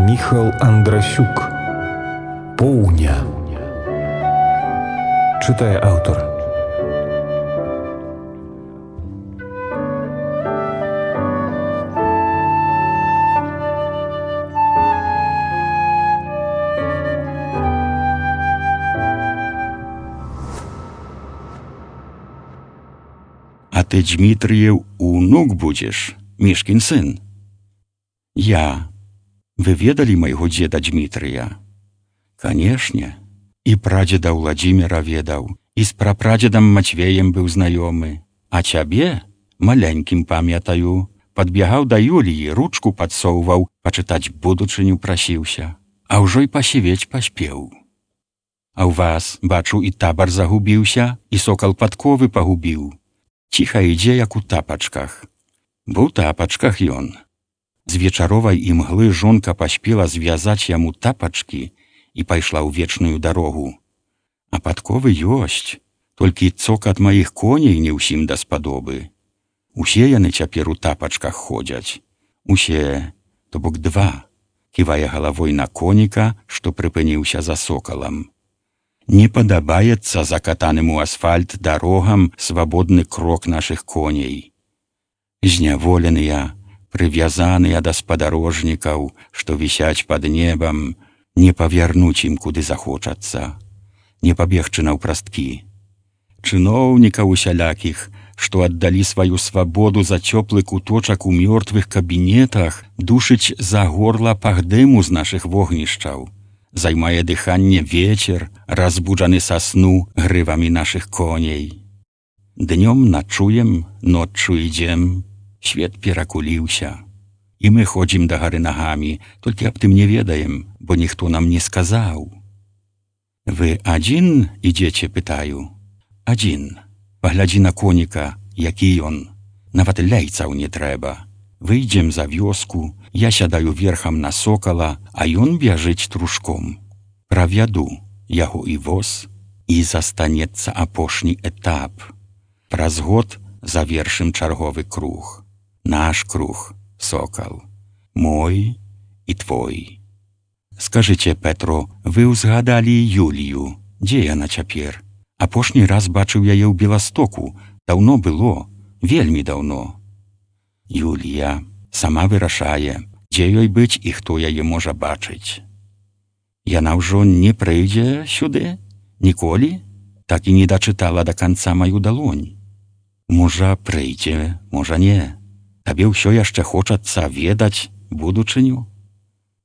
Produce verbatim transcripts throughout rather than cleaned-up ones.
Міхал Андрасюк. Поўня. Чытае аўтар. А ты, Дмитрыеў, унук будзеш, Мішкін сын. Я. Вы ведалі майго дзеда Дмітрыя? Канешне. І прадзеда Владзіміра ведаў, і з прапрадзедам Мацвеем быў знаёмы. А цябе, маленькім памятаю, падбягаў да Юліі, ручку падсоўваў, пачытаць будучыню прасіўся. А ўжо й пасівець паспеў. А ў вас, бачу, і табар загубіўся, і сокал падковы пагубіў. Ціха ідзе, як у тапачках. Бо ў тапачках ён. З вечаровай імглы жонка паспела звязаць яму тапачкі і пайшла ў вечную дарогу. А падковы ёсць, толькі цокат маіх коней не ўсім даспадобы. Усе яны цяпер у тапачках ходзяць. Усе, то бок два, ківае галавой на коніка, што прыпыніўся за сокалам. Не падабаецца закатаным у асфальт дарогам свабодны крок нашых коней. Зняволеныя, прывязаныя да спадарожнікаў, што вісяць пад небам, не павярнуць ім куды захочацца, не пабегчы наўпрасткі. Чыноўнікаў усялякіх, што аддалі сваю свабоду за цёплы куточак у мёртвых кабінетах, душыць за горла пах дыму з нашых вогнішчаў. Займае дыханне вецер, разбуджаны са сну грывамі нашых коней. Днём начуем, ноччу ідзем, свет перакуліўся. І мы ходзім да гары нагамі, толькі аб тым не ведаем, бо ніхто нам не сказаў. Вы адзін ідзеце, пытаю? Адзін. Паглядзі на коніка, які ён. Нават ляйцаў не трэба. Выйдзем за вёску, я сядаю верхам на сокала, а ён бяжыць трушком. Правяду яго і воз, і застанецца апошні этап. Праз год завершым чарговы круг. Наш круг, сокал. Мой і твой. Скажыце, Петро, вы ўзгадалі Юлію. Дзе яна цяпер? Апошні раз бачыў яе ў Беластоку. Даўно было, вельмі даўно. Юлія сама вырашае, дзе ёй быць і хто яе можа бачыць. Яна ўжо не прыйдзе сюды? Ніколі? Так і не дачытала да канца маю далонь. Можа, прыйдзе, можа, не. Табе ўсё яшчэ хочацца ведаць будучыню?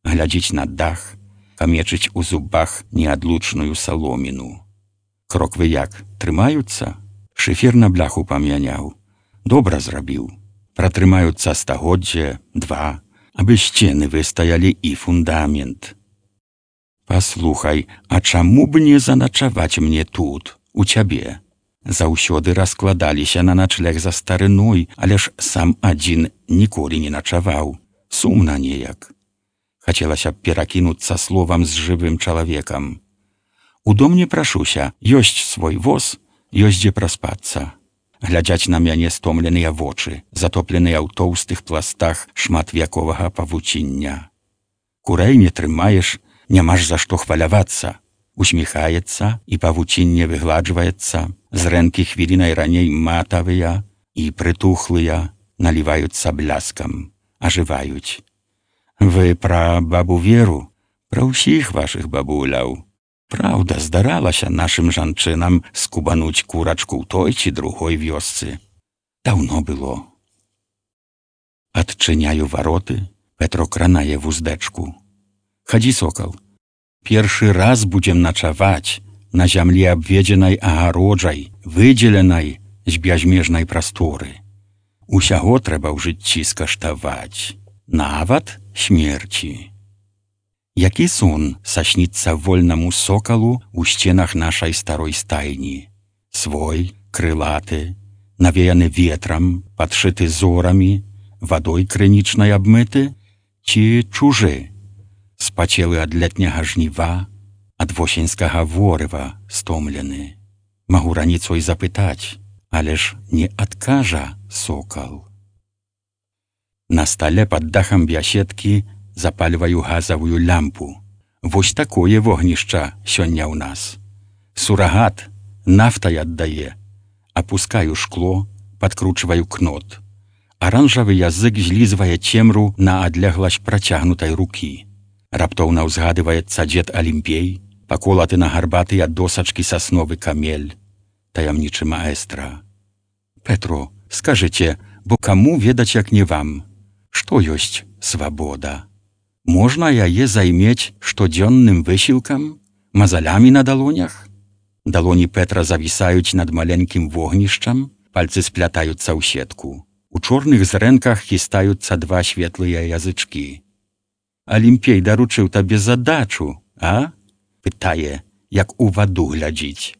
Глядзіць на дах, камечыць у зубах неадлучную саломіну. Кроквы як, трымаюцца? Шыфер на бляху памяняў. Добра зрабіў. Пратрымаюцца стагоддзе, два, абы сцены выстаялі і фундамент. Паслухай, а чаму б не заначаваць мне тут, у цябе? Заўсёды раскладаліся на начлег за старыной, але ж сам адзін ніколі не начаваў. Сумна неяк. Хацелася б перакінуцца словам з жывым чалавекам. У дом не прашуся, ёсць свой воз, ёсць дзе праспацца. Глядзяць на мяне стомленыя вочы, затопленыя ў тоўстых пластах шматвяковага павуціння. Курэй не трымаеш, няма ж за што хвалявацца. Усміхаецца, і павуцінне выгладжваецца, зрэнкі хвілінай раней матавыя і прытухлыя, наліваюцца бляскам, ажываюць. Вы пра бабу Веру, пра ўсіх вашых бабуляў. Праўда, здаралася нашым жанчынам скубануць курачку ў той ці другой вёсцы. Даўно было. Адчыняю вароты, Петро кранае вуздэчку. Хадзі, сокал. Першы раз будзем начаваць на зямлі абведзенай агароджай, выдзеленай з бязмежнай прасторы. Усяго трэба ў жыцці скаштаваць, нават смерці. Які сон сашніцца вольнаму сокалу ў сценах нашай старой стайні? Свой, крылаты, навеяны ветрам, падшыты зорамі, вадой крынічнай абмыты, ці чужы? Спацелы ад летняга жніва, ад восеньскага ворыва стомлены. Магу раніцой запытаць, але ж не адкажа сокал. На стале пад дахам бяседкі запальваю газавую лямпу. Вось такое вогнішча сёння ў нас. Сурагат нафтай аддае. Апускаю шкло, падкручваю кнот. Аранжавы язык злізвае цемру на адлегласць працягнутай рукі. Раптоўна ўзгадываецца дзед Алімпей, паколаты на гарбатыя досачкі сасновы камель, таямнічы маэстра. Петро, скажыце, бо каму ведаць, як не вам, што ёсць свабода? Можна яе займець штодзённым высілкам, мазалямі на далонях? Далоні Петра завісаюць над маленькім вогнішчам, пальцы сплятаюцца ў сетку. У чорных зрэнках хістаюцца два светлыя язычкі. Алімпей даручыў табе задачу, а? Пытае, як у ваду глядзіць.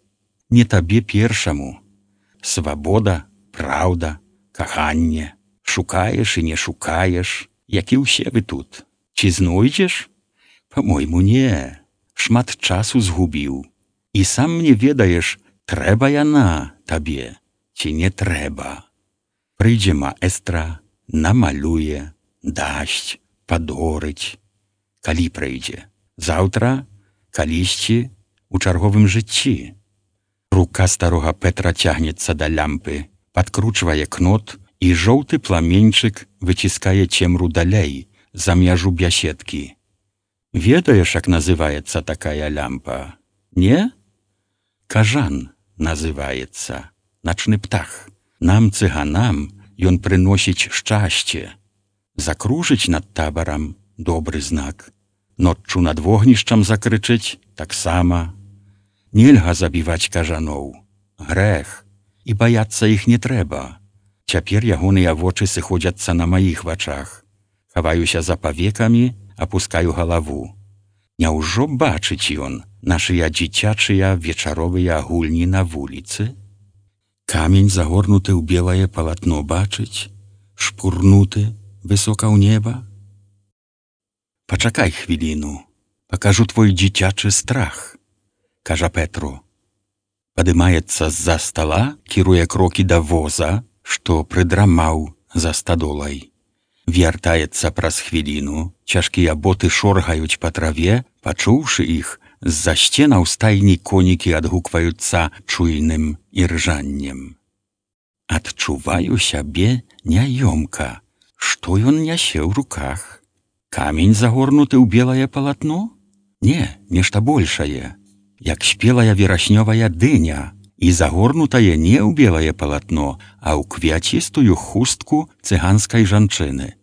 Не табе першаму. Свабода, праўда, каханне. Шукаеш і не шукаеш, як і ўсе вы тут. Ці знойдзеш? Па-мойму, не. Шмат часу згубіў. І сам не ведаеш, трэба яна табе, ці не трэба. Прыйдзе маэстра, намалюе, дасць, падорыць. Калі прыйдзе? Заўтра? Калісьці? У чарговым жыцці? Рука старога Петра цягнецца да лямпы, падкручвае кнот, і жоўты пламеньчык выціскае цемру далей, за мяжу бяседкі. Ведаеш, як называецца такая лямпа? Не? Кажан называецца, начны птах. Нам, цыганам, ён прыносіць шчасце. Закружыць над табарам — добры знак. Ноччу над вогнішчам закрычыць — таксама. Нельга забіваць кажаноў. Грэх. І баяцца іх не трэба. Цяпер ягоныя вочы сыходзяцца на маіх вачах. Хаваюся за павекамі, апускаю галаву. Няўжо бачыць ён нашыя дзіцячыя вечаровыя гульні на вуліцы? Камень загорнуты ў белае палатно бачыць, шпурнуты высока ў неба? Пачакай хвіліну, пакажу твой дзіцячы страх, кажа Петро. Падымаецца з-за стала, кіруе крокі да воза, што прыдрамаў за стадолай. Вяртаецца праз хвіліну, цяжкія боты шоргаюць па траве, пачуўшы іх, з-за сценаў стайні конікі адгукваюцца чуйным іржаннем. Адчуваю сябе няёмка. Што ён нясе ў руках? Камень загорнуты ў белае палатно? Не, нешта большае. Як спелая вераснёвая дыня, і загорнутае не ў белае палатно, а ў квяцістую хустку цыганскай жанчыны.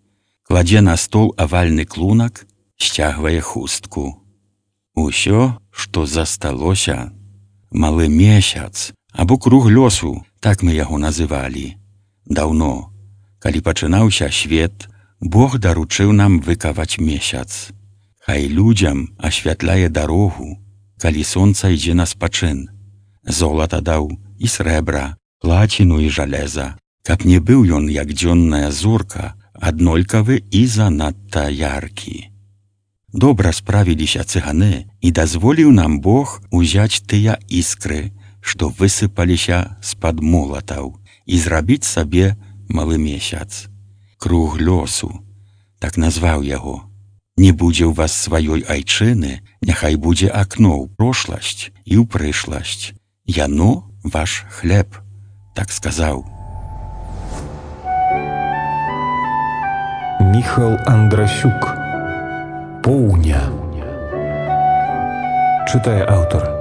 Кладзе на стол авальны клунак, сцягвае хустку. Усё, што засталося, малы месяц, або круг лёсу, так мы яго называлі. Даўно, калі пачынаўся свет, Бог даручыў нам выкаваць месяц. Хай людзям асвятляе дарогу, калі сонца ідзе на спачын. Золата даў і срэбра, плаціну і жалеза, каб не быў ён, як дзённая зорка, аднолькавы і занадта яркі. Добра справіліся цыганы, і дазволіў нам Бог узяць тыя іскры, што высыпаліся з-пад молатаў, і зрабіць сабе малы месяц. Круг лёсу, так назваў яго. Не будзе ў вас сваёй айчыны, няхай будзе акно ў прошласць і ў прышласць. Яно ваш хлеб, так сказаў. Міхал Андрасюк. Поўня. Чытае аўтар.